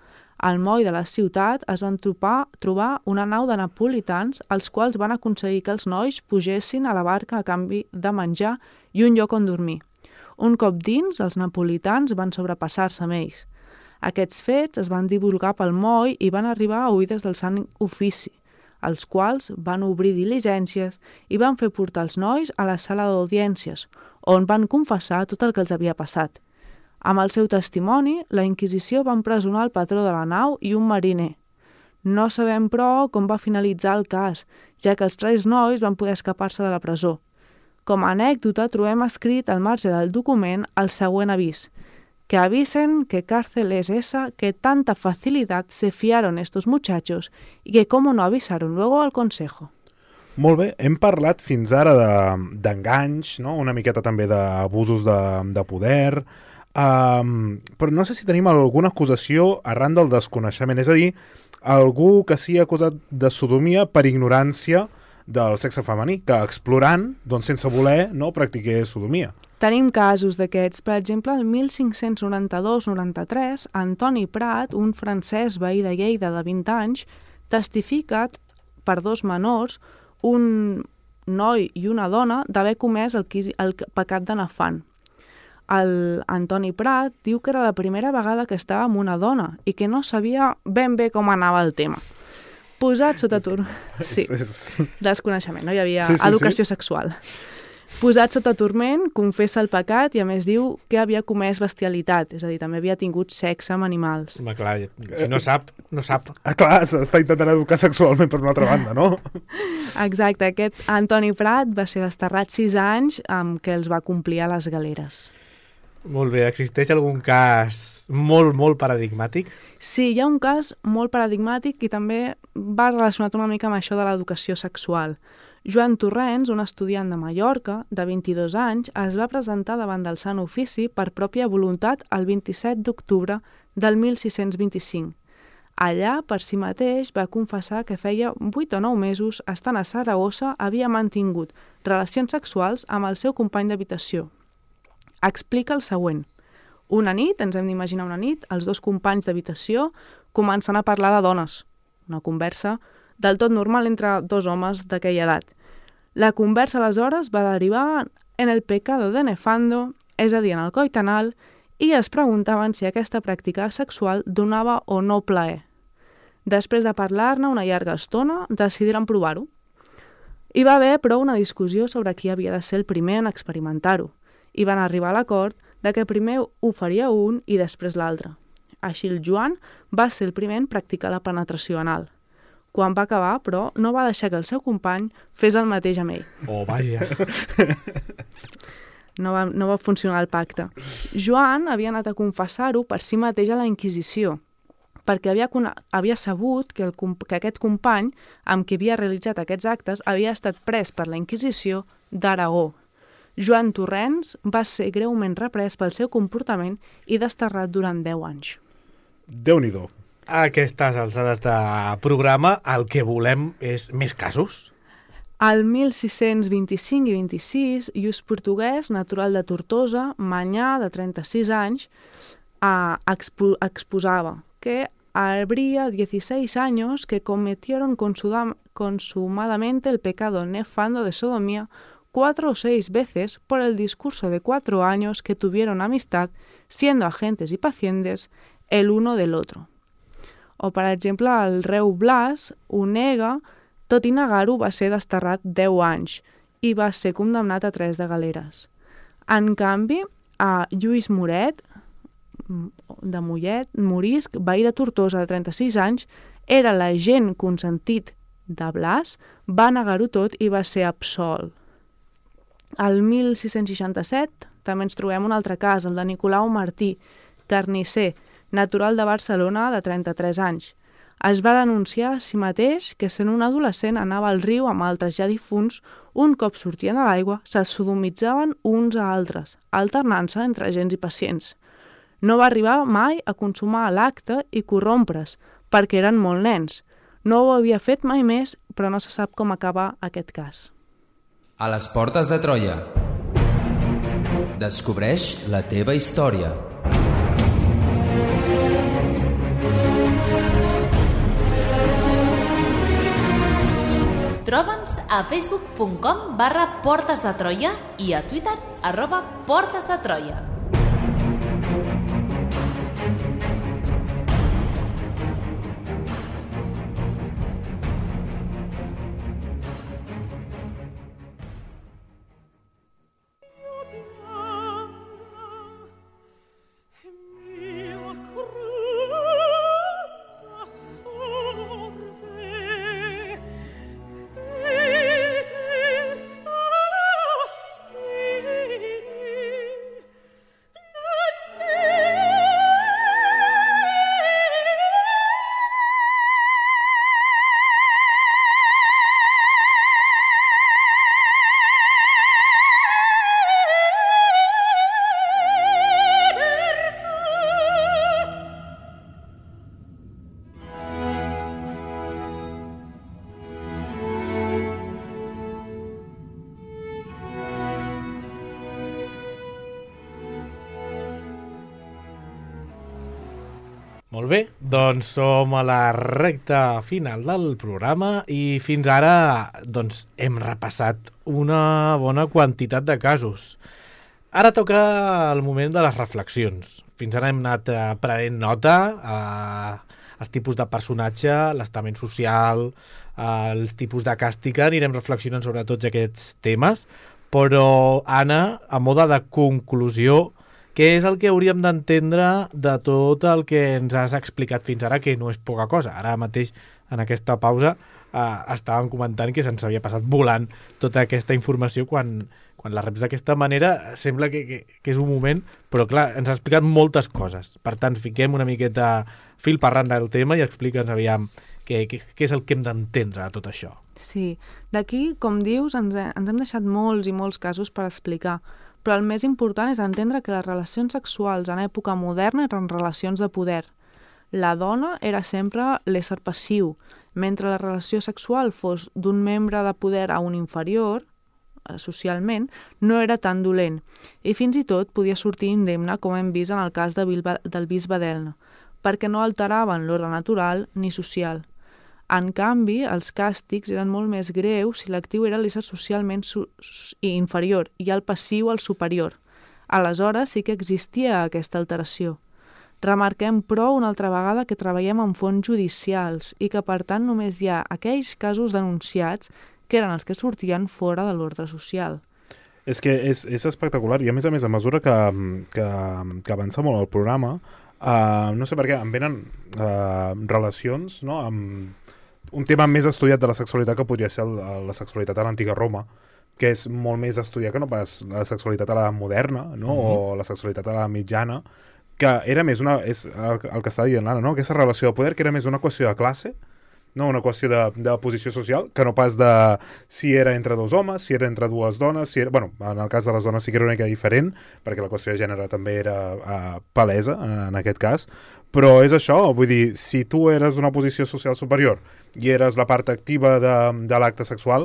Al moll de la ciutat es van trobar, trobar una nau de napolitans, els quals van aconseguir que els nois pugessin a la barca a canvi de menjar i un lloc on dormir. Un cop dins, els napolitans van sobrepassar-se amb ells. Aquests fets es van divulgar pel moll i van arribar a oïdes del Sant Ofici, els quals van obrir diligències i van fer portar els nois a la sala d'audiències, on van confessar tot el que els havia passat. Amb el seu testimoni, la Inquisició va empresonar el patró de la nau i un mariner. No sabem, però, com va finalitzar el cas, ja que els tres nois van poder escapar-se de la presó. Com a anècdota, trobem escrit al marge del document el següent avís: que avisen que cárcel es esa que tanta facilidad se fiaron estos muchachos y que cómo no avisaron luego al consejo. Molt bé, hem parlat fins ara d'enganys, no? Una miqueta també d'abusos de, de poder, um, però no sé si tenim alguna acusació arran del desconeixement, és a dir, algú que sigui acusat de sodomia per ignorància del sexe femení, que explorant, doncs sense voler, no practiqués sodomia. Tenim casos d'aquests. Per exemple, el mil cinc-cents noranta-dos noranta-tres, Antoni Prat, un francès veí de Lleida de vint anys, testifica per dos menors, un noi i una dona, d'haver comès el, el pecat de Nefand. El Antoni Prat diu que era la primera vegada que estava amb una dona i que no sabia ben bé com anava el tema. Posat sota turment... Sí, desconeixement, no hi havia sí, sí, educació sí. sexual. Posat sota turment, confessa el pecat i a més diu que havia comès bestialitat, és a dir, també havia tingut sexe amb animals. Home, clar, si no sap, no sap. Ah, clar, s'està intentant educar sexualment per una altra banda, no? Exacte, aquest Antoni Prat va ser desterrat sis anys amb què els va complir a les galeres. Molt bé, existeix algun cas molt, molt paradigmàtic? Sí, hi ha un cas molt paradigmàtic i també va relacionat una mica amb això de l'educació sexual. Joan Torrents, un estudiant de Mallorca, de vint-i-dos anys, es va presentar davant del Sant Ofici per pròpia voluntat el vint-i-set d'octubre del mil sis-cents vint-i-cinc. Allà, per si mateix, va confessar que feia vuit o nou mesos, estant a Saragossa, havia mantingut relacions sexuals amb el seu company d'habitació. Explica el següent. Una nit, ens hem d'imaginar una nit, els dos companys d'habitació comencen a parlar de dones. Una conversa del tot normal entre dos homes d'aquella edat. La conversa, aleshores, va derivar en el pecado de Nefando, és a dir, en el coit anal, i es preguntaven si aquesta pràctica sexual donava o no plaer. Després de parlar-ne una llarga estona, decidiren provar-ho. Hi va haver, però, una discussió sobre qui havia de ser el primer en experimentar-ho, i van arribar a l'acord de que primer ho faria un i després l'altre. Així el Joan va ser el primer en practicar la penetració anal. Quan va acabar, però, no va deixar que el seu company fes el mateix amb ell. Oh, vaja! No va, no va funcionar el pacte. Joan havia anat a confessar-ho per si mateix a la Inquisició, perquè havia, havia sabut que, el, que aquest company amb qui havia realitzat aquests actes havia estat pres per la Inquisició d'Aragó. Joan Torrents va ser greument reprès pel seu comportament i desterrat durant deu anys. Déu-n'hi-do. A aquestes alçades de programa el que volem és més casos. Al mil sis-cents vint-i-cinc i vint-i-sis, Lluís Portuguès, natural de Tortosa, manyà de trenta-sis anys, eh, expo exposava que habría dieciséis años que cometieron consumadamente el pecado nefando de sodomía cuatro o seis veces por el discurso de cuatro años que tuvieron amistad, siendo agentes y pacientes el uno del otro. O, per exemple, el reu Blas ho nega, tot i negar-ho va ser desterrat deu anys i va ser condemnat a tres de galeres. En canvi, a Lluís Moret, de Mollet, morisc, veí de Tortosa de trenta-sis anys, era l'agent consentit de Blas, va negar-ho tot i va ser absolt. Al mil sis-cents seixanta-set també ens trobem un altre cas, el de Nicolau Martí, carnisser, natural de Barcelona de trenta-tres anys. Es va denunciar a si mateix que sent un adolescent anava al riu amb altres ja difunts, un cop sortien a l'aigua se sodomitzaven uns a altres, alternant-se entre agents i pacients. No va arribar mai a consumar l'acte i corrompre's, perquè eren molt nens. No ho havia fet mai més, però no se sap com acaba aquest cas. A les portes de Troia. Descobreix la teva història. Troba'ns a facebook punt com barra Portes de Troia i a Twitter arroba Portes de Troia. Molt bé, doncs som a la recta final del programa i fins ara doncs, hem repassat una bona quantitat de casos. Ara toca el moment de les reflexions. Fins ara hem anat eh, prenent nota a els tipus de personatge, l'estament social, eh, els tipus de càstig, anirem reflexionant sobre tots aquests temes, però Anna, a mode de conclusió, què és el que hauríem d'entendre de tot el que ens has explicat fins ara, que no és poca cosa. Ara mateix, en aquesta pausa, eh, estàvem comentant que se'ns havia passat volant tota aquesta informació quan, quan la reps d'aquesta manera sembla que, que, que és un moment, però clar, ens ha explicat moltes coses. Per tant, fiquem una miqueta fil per randa del tema i explica'ns aviam què, què, què és el que hem d'entendre de tot això. Sí, d'aquí, com dius, ens, he, ens hem deixat molts i molts casos per explicar, però el més important és entendre que les relacions sexuals en època moderna eren relacions de poder. La dona era sempre l'ésser passiu, mentre la relació sexual fos d'un membre de poder a un inferior, socialment, no era tan dolent, i fins i tot podia sortir indemne, com hem vist en el cas de Bilba, del bisbe d'Elna, perquè no alteraven l'ordre natural ni social. En canvi, els càstigs eren molt més greus si l'actiu era l'ésser socialment su inferior i el passiu el superior. Aleshores sí que existia aquesta alteració. Remarquem, però, una altra vegada que treballem en fonts judicials i que, per tant, només hi ha aquells casos denunciats que eren els que sortien fora de l'ordre social. És que és, és espectacular i, a més a més, a mesura que, que, que avança molt el programa, uh, no sé per què, em venen uh, relacions, no?, amb un tema més estudiat de la sexualitat que podria ser el, la sexualitat a l'antiga Roma, que és molt més estudiat que no pas la sexualitat a la moderna, no? Mm-hmm. O la sexualitat a la mitjana, que era més una... és el, el que està dient l'Anna, no? Aquesta relació de poder que era més una qüestió de classe, no? Una qüestió de, de posició social, que no pas de si era entre dos homes, si era entre dues dones, si era... Bueno, en el cas de les dones sí que era una mica diferent, perquè la qüestió de gènere també era uh, palesa, en, en aquest cas, però és això, vull dir, si tu eres d'una posició social superior i eres la part activa de, de l'acte sexual,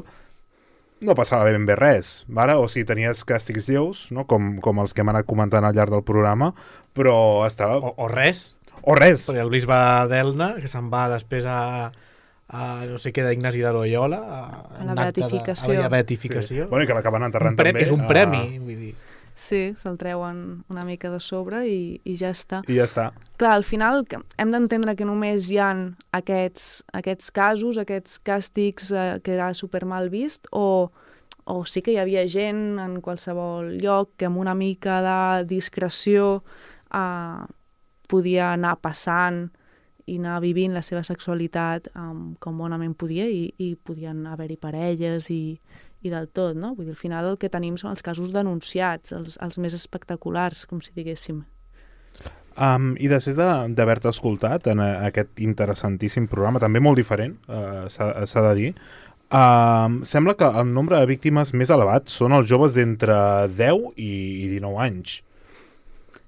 no passava ben bé res, vale? O si tenies càstigs lleus, no? com, com els que hem anat comentant al llarg del programa, però estava... O, o res. O res. Perquè el bisbe d'Elna, que se'n va després a, a no sé què d'Ignasi de Loyola, a, a la beatificació. A la beatificació. Sí. Bueno, i que l'acaben enterrant un també. És un premi, a... vull dir. Sí, se'l treuen una mica de sobre i, i ja està. I ja està. Clar, al final hem d'entendre que només hi ha aquests, aquests casos, aquests càstigs eh, que era super mal vist, o, o sí que hi havia gent en qualsevol lloc que amb una mica de discreció eh, podia anar passant i anar vivint la seva sexualitat um, com bonament podia i, i podien haver-hi parelles i, i del tot, no? Vull dir, al final el que tenim són els casos denunciats, els, els més espectaculars, com si diguéssim. Um, I després d'haver-te escoltat en a, aquest interessantíssim programa, també molt diferent, uh, s'ha de dir, uh, sembla que el nombre de víctimes més elevat són els joves d'entre deu i, i dinou anys.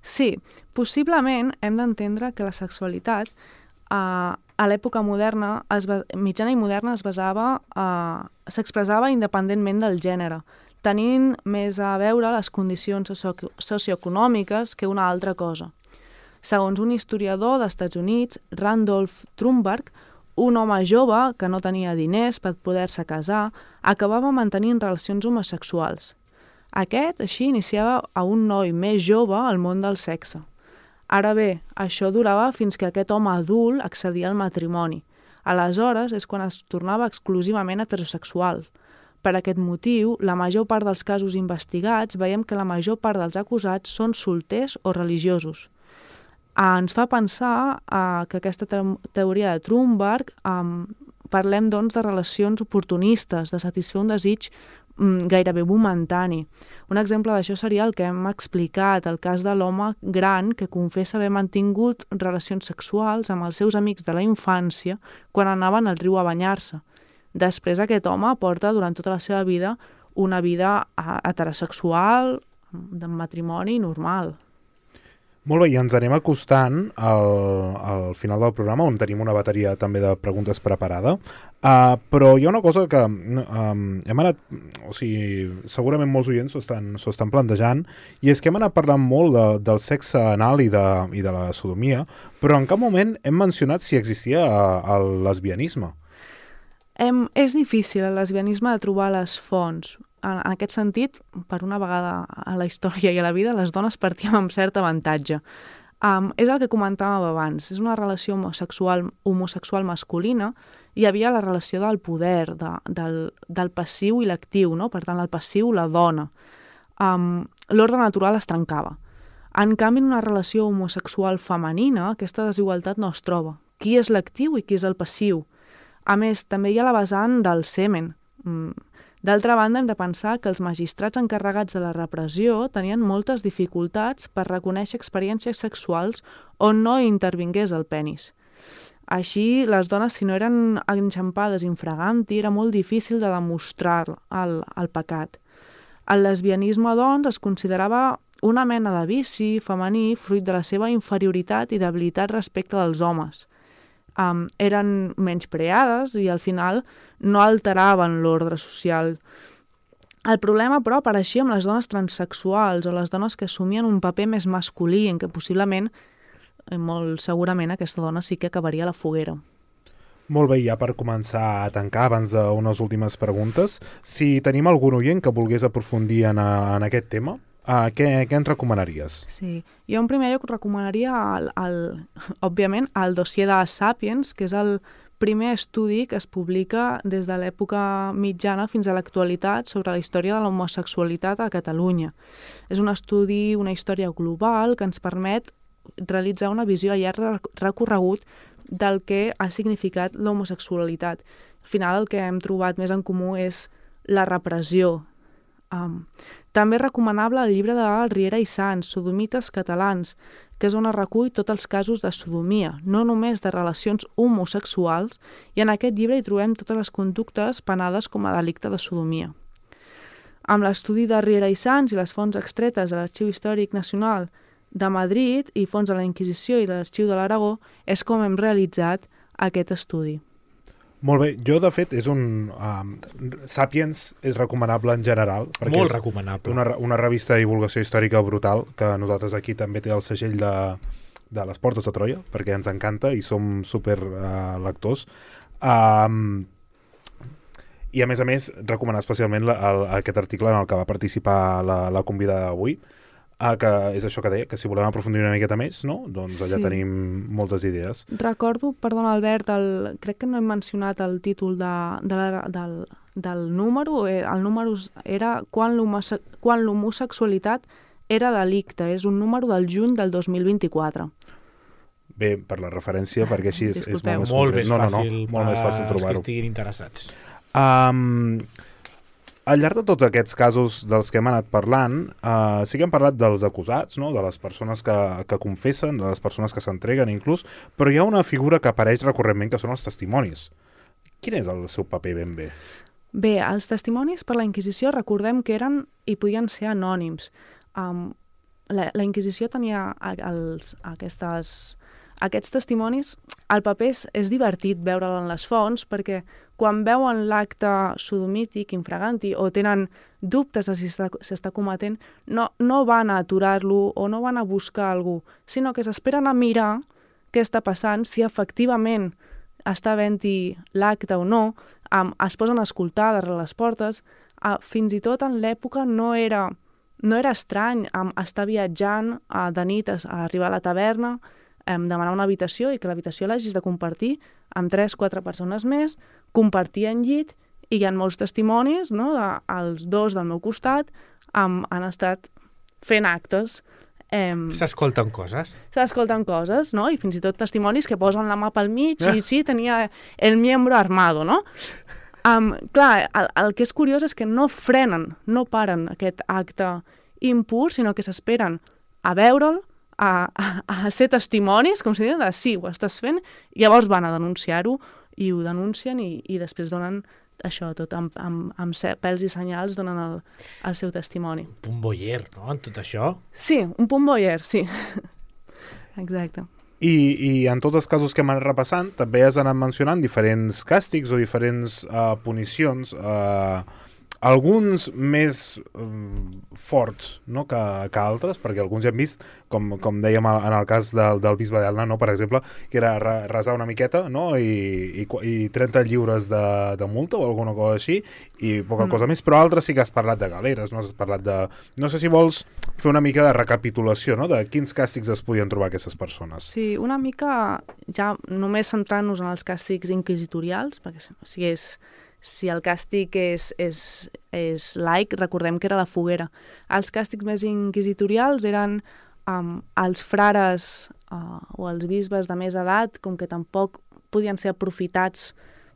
Sí, possiblement hem d'entendre que la sexualitat uh, a l'època moderna, es va, mitjana i moderna, es basava, uh, s'expressava independentment del gènere, tenint més a veure les condicions socio socioeconòmiques que una altra cosa. Segons un historiador dels Estats Units, Randolph Trumberg, un home jove que no tenia diners per poder-se casar, acabava mantenint relacions homosexuals. Aquest, així, iniciava a un noi més jove al món del sexe. Ara bé, això durava fins que aquest home adult accedia al matrimoni. Aleshores és quan es tornava exclusivament heterosexual. Per aquest motiu, la major part dels casos investigats veiem que la major part dels acusats són solters o religiosos. Ah, ens fa pensar ah, que aquesta te teoria de Trumberg ah, parlem doncs de relacions oportunistes, de satisfer un desig mm, gairebé momentani. Un exemple d'això seria el que hem explicat, el cas de l'home gran que confessa haver mantingut relacions sexuals amb els seus amics de la infància quan anaven al riu a banyar-se. Després aquest home porta durant tota la seva vida una vida heterosexual, de matrimoni normal. Molt bé, i ens anem acostant al, al final del programa, on tenim una bateria també de preguntes preparada. Uh, però hi ha una cosa que um, hem anat, o sigui, segurament molts oients s'ho estan, s'ho estan plantejant, i és que hem anat parlant molt de, del sexe anal i de, i de la sodomia, però en cap moment hem mencionat si existia uh, el lesbianisme. Em, és difícil el lesbianisme de trobar les fonts. En, en aquest sentit, per una vegada a la història i a la vida, les dones partíem amb cert avantatge. Um, és el que comentàvem abans, és una relació homosexual, homosexual masculina, hi havia la relació del poder, de, del, del passiu i l'actiu, no? Per tant, el passiu, la dona. Um, L'ordre natural es trencava. En canvi, en una relació homosexual femenina, aquesta desigualtat no es troba. Qui és l'actiu i qui és el passiu? A més, també hi ha la vessant del semen. D'altra banda, hem de pensar que els magistrats encarregats de la repressió tenien moltes dificultats per reconèixer experiències sexuals on no intervingués el penis. Així, les dones, si no eren enxampades infraganti, era molt difícil de demostrar el, el pecat. El lesbianisme, doncs, es considerava una mena de vici femení fruit de la seva inferioritat i debilitat respecte dels homes. Um, eren menyspreades i al final no alteraven l'ordre social. El problema, però, apareixia amb les dones transsexuals o les dones que assumien un paper més masculí en què possiblement, molt segurament, aquesta dona sí que acabaria a la foguera. Molt bé, ja per començar a tancar, abans d'unes últimes preguntes, si tenim algun oient que volgués aprofundir en, a, en aquest tema, Uh, què, què ens recomanaries? Sí, jo en primer lloc recomanaria, el, el, òbviament, el dossier de Sapiens, que és el primer estudi que es publica des de l'època mitjana fins a l'actualitat sobre la història de l'homosexualitat a Catalunya. És un estudi, una història global que ens permet realitzar una visió a llarg recorregut del que ha significat l'homosexualitat. Al final el que hem trobat més en comú és la repressió. Um, També és recomanable el llibre de Riera i Sans, Sodomites catalans, que és on es recull tots els casos de sodomia, no només de relacions homosexuals, i en aquest llibre hi trobem totes les conductes penades com a delicte de sodomia. Amb l'estudi de Riera i Sans i les fonts extretes de l'Arxiu Històric Nacional de Madrid i fons de la Inquisició i de l'Arxiu de l'Aragó és com hem realitzat aquest estudi. Molt bé, jo de fet és un... Um, Sapiens és recomanable en general. Molt recomanable. Una, una revista de divulgació històrica brutal, que nosaltres aquí també té el segell de, de les Portes de Troia, perquè ens encanta i som super uh, lectors. Um, I a més a més, recomanar especialment la, el, aquest article en el que va participar la, la convidada d'avui, Ah, que és això que deia, que si volem aprofundir una miqueta més, no? Doncs allà sí. Tenim moltes idees. Recordo, perdona Albert, el, crec que no hem mencionat el títol de, de la, del, del número, el número era quan l'homosexualitat era delicte, és un número del juny del dos mil vint-i-quatre. Bé, per la referència, perquè així és, és molt més, molt més no, fàcil, no, no, molt més fàcil trobar-ho. Que estiguin interessats. Um, Al llarg de tots aquests casos dels que hem anat parlant, eh, sí que hem parlat dels acusats, no? De les persones que, que confessen, de les persones que s'entreguen inclús, però hi ha una figura que apareix recurrentment que són els testimonis. Quin és el seu paper ben bé? Bé, els testimonis per la Inquisició recordem que eren i podien ser anònims. Um, la, la Inquisició tenia els, aquestes, aquests testimonis, el paper és, és divertit veure'l en les fonts perquè quan veuen l'acte sodomític, infraganti, o tenen dubtes de si s'està cometent, no, no van a aturar-lo o no van a buscar algú, sinó que s'esperen a mirar què està passant, si efectivament està havent-hi l'acte o no, um, es posen a escoltar darrere les portes. Uh, fins i tot en l'època no era, no era estrany um, estar viatjant uh, de nit a, a arribar a la taverna, um, demanar una habitació i que l'habitació l'hagis de compartir amb tres, quatre persones més, compartir en llit, i hi ha molts testimonis, no? De, els dos del meu costat um, han estat fent actes. Um, S'escolten coses. S'escolten coses, no? I fins i tot testimonis que posen la mà pel mig eh? i sí, tenia el miembro armado, no? Um, clar, el, el que és curiós és que no frenen, no paren aquest acte impur, sinó que s'esperen a veure'l, A, a, a ser testimonis, com si diuen, de sí, ho estàs fent, i llavors van a denunciar-ho, i ho denuncien, i, i després donen això, tot amb, amb, amb pèls i senyals, donen el, el seu testimoni. Un punt voyeur, no?, en tot això? Sí, un punt voyeur, sí. exacte. I, I en tots els casos que hem anat repassant, també has anat mencionant diferents càstigs o diferents uh, punicions, uh, alguns més um, forts, no?, que, que altres, perquè alguns ja hem vist, com, com dèiem en el cas del, del bisbe d'Elna, no?, per exemple, que era resar una miqueta, no?, i, i, i trenta lliures de, de multa o alguna cosa així, i poca mm. cosa més, però altres sí que has parlat de galeres, no has parlat de... No sé si vols fer una mica de recapitulació, no?, de quins càstigs es podien trobar aquestes persones. Sí, una mica, ja només centrant-nos en els càstigs inquisitorials, perquè si, si és... Si el càstig és, és, és laic, recordem que era la foguera. Els càstigs més inquisitorials eren um, els frares uh, o els bisbes de més edat, com que tampoc podien ser aprofitats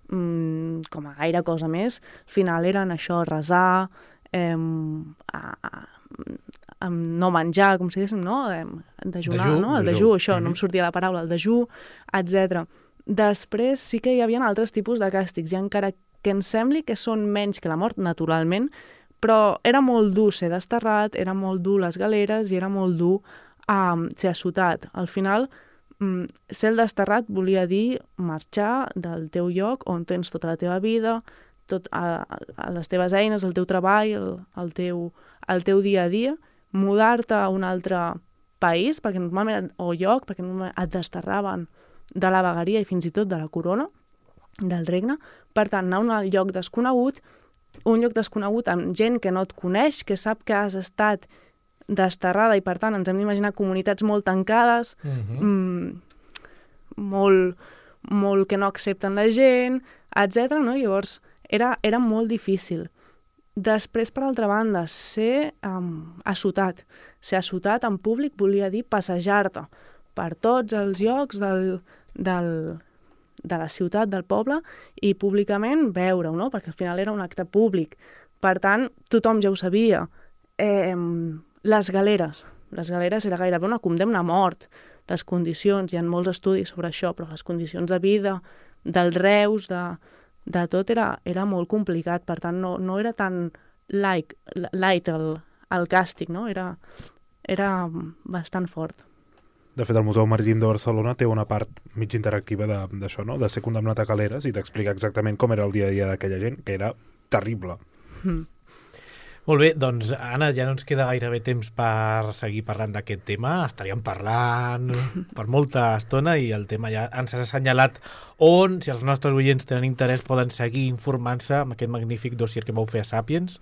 um, com a gaire cosa més. Al final eren això, resar, um, a, a, a, no menjar, com si diguéssim, no? Dejunar, dejú, no? El dejú, dejú això, mm-hmm. no em sortia la paraula, el dejú, etcètera. Després sí que hi havia altres tipus de càstigs, i encara que em sembli que són menys que la mort, naturalment, però era molt dur ser desterrat, era molt dur les galeres i era molt dur um, ser assotat. Al final, um, ser el desterrat volia dir marxar del teu lloc on tens tota la teva vida, tot, a, a les teves eines, el teu treball, el, el, teu, el teu dia a dia, mudar-te a un altre país, perquè normalment, o lloc, perquè normalment et desterraven de la vegueria i fins i tot de la corona, del regne. Per tant, anar a un lloc desconegut, un lloc desconegut amb gent que no et coneix, que sap que has estat desterrada i, per tant, ens hem d'imaginar comunitats molt tancades, uh-huh. mm, molt, molt que no accepten la gent, etcètera. No? Llavors, era, era molt difícil. Després, per altra banda, ser um, assotat. Ser assotat en públic volia dir passejar-te per tots els llocs del... del de la ciutat, del poble, i públicament veure-ho, no? Perquè al final era un acte públic. Per tant, tothom ja ho sabia. Eh, les galeres. Les galeres era gairebé una condemna a mort. Les condicions, hi ha molts estudis sobre això, però les condicions de vida, dels reus, de, de tot, era, era molt complicat. Per tant, no, no era tan light, light el, el càstig, no? Era, era bastant fort. De fet, el Museu Marítim de Barcelona té una part mig interactiva d'això, no?, de ser condemnat a galeres i d'explicar exactament com era el dia a dia d'aquella gent, que era terrible. Mm. Molt bé, doncs, Anna, ja no ens queda gairebé temps per seguir parlant d'aquest tema. Estaríem parlant per molta estona i el tema ja ens has assenyalat on, si els nostres oients tenen interès, poden seguir informant-se amb aquest magnífic dossier que vau fer a Sàpiens.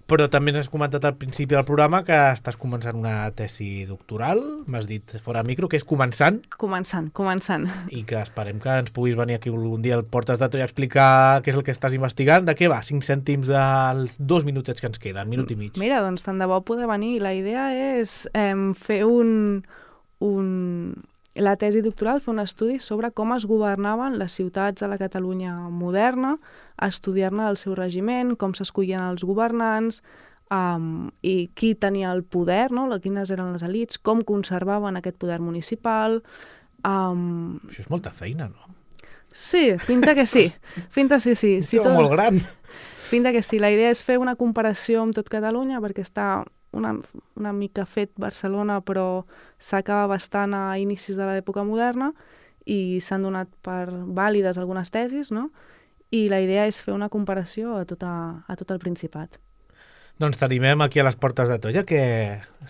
Però també ens has comentat al principi del programa que estàs començant una tesi doctoral, m'has dit fora micro, que és començant. Començant, començant. I que esperem que ens puguis venir aquí un dia al Portes de Troia a explicar què és el que estàs investigant. De què va? Cinc cèntims dels dos minutets que ens queden, minut i mig. Mira, doncs tant de bo poder venir. La idea és eh, fer un, un... la tesi doctoral, fer un estudi sobre com es governaven les ciutats de la Catalunya moderna, estudiar-ne el seu regiment, com s'escollien els governants, um, i qui tenia el poder, no? Quines eren les elits, com conservaven aquest poder municipal. Um... Això és molta feina, no? Sí, pinta que sí. Pinta sí, sí. sí tot... molt gran. Pinta que sí. La idea és fer una comparació amb tot Catalunya, perquè està una, una mica fet Barcelona, però s'acaba bastant a inicis de l'època moderna i s'han donat per vàlides algunes tesis, no? I la idea és fer una comparació a tot, a, a tot el Principat. Doncs t'animem aquí a les Portes de Troia, que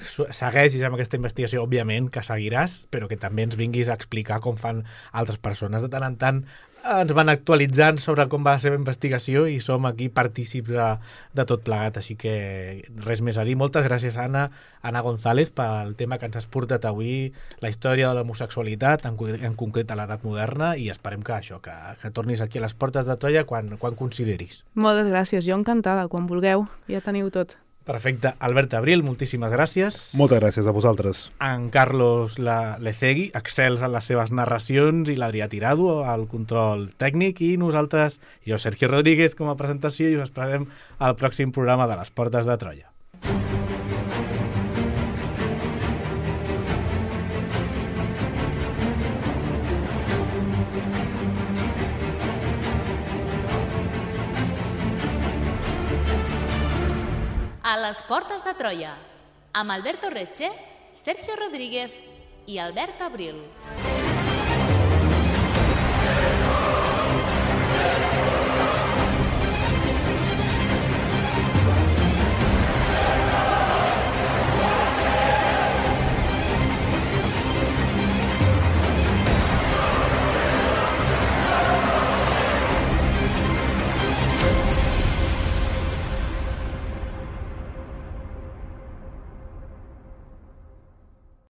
segueixis amb aquesta investigació, òbviament, que seguiràs, però que també ens vinguis a explicar com fan altres persones. De tant en tant ens van actualitzant sobre com va la seva investigació i som aquí partícips de, de tot plegat, així que res més a dir. Moltes gràcies, Anna, Anna González, pel tema que ens has portat avui, la història de l'homosexualitat, en, en concret a l'edat moderna, i esperem que això, que, que tornis aquí a les Portes de Troia quan, quan consideris. Moltes gràcies, jo encantada, quan vulgueu, ja teniu tot. Perfecte. Albert Abril, moltíssimes gràcies. Moltes gràcies a vosaltres. En Carlos la Lecegui, excels en les seves narracions, i l'Adrià Tirado al control tècnic, i nosaltres, jo, Sergio Rodríguez, com a presentació, i us esperem al pròxim programa de les Portes de Troia. A les Portes de Troia, amb Alberto Reche, Sergio Rodríguez i Albert Abril.